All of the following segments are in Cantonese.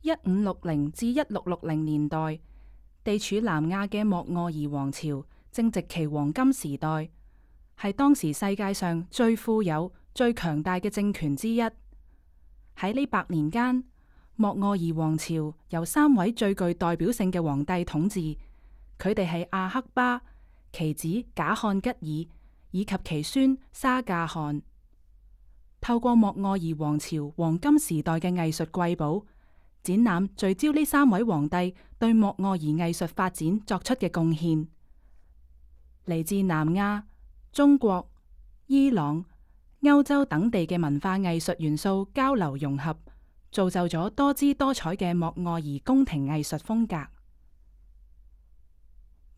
1560至1660年代，地處南亞嘅莫臥兒王朝正值其黃金時代，係當時世界上最富有、最強大嘅政權之一。喺呢100年間，莫臥兒王朝由3位最具代表性嘅皇帝統治，佢哋係阿克巴、其子賈漢吉爾以及其孫沙駕汗。透過莫臥兒王朝黃金時代嘅藝術瑰寶展覽，聚焦呢3位皇帝對莫臥兒藝術發展作出嘅貢獻。嚟自南亞、中國、伊朗、歐洲等地嘅文化藝術元素交流融合，造就咗多姿多彩嘅莫臥兒宮廷藝術風格。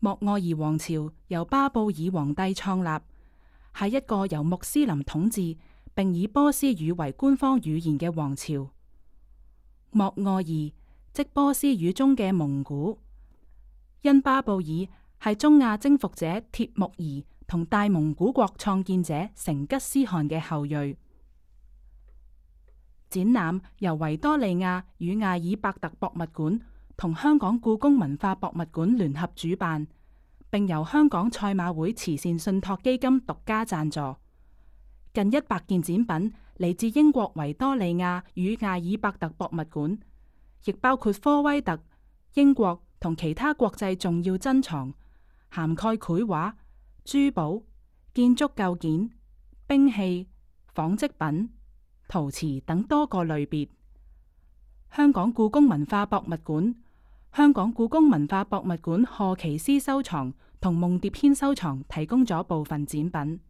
莫臥兒王朝由巴布爾皇帝創立，係一個由穆斯林統治並以波斯語為官方語言嘅王朝。莫臥兒即波斯語中嘅蒙古，因巴布爾係中亞征服者帖木兒同大蒙古國創建者成吉思汗嘅後裔。展覽由維多利亞與艾爾伯特博物館同香港故宮文化博物館聯合主辦，並由香港賽馬會慈善信託基金獨家贊助。近100件展品嚟自英國維多利亞與艾爾伯特博物館，亦包括科威特、英國同其他國際重要珍藏，涵蓋繪畫、珠寶、建築構件、兵器、紡織品、陶瓷等多個類別。香港故宮文化博物館、香港故宮文化博物館賀奇斯收藏同夢蝶軒收藏提供咗部分展品。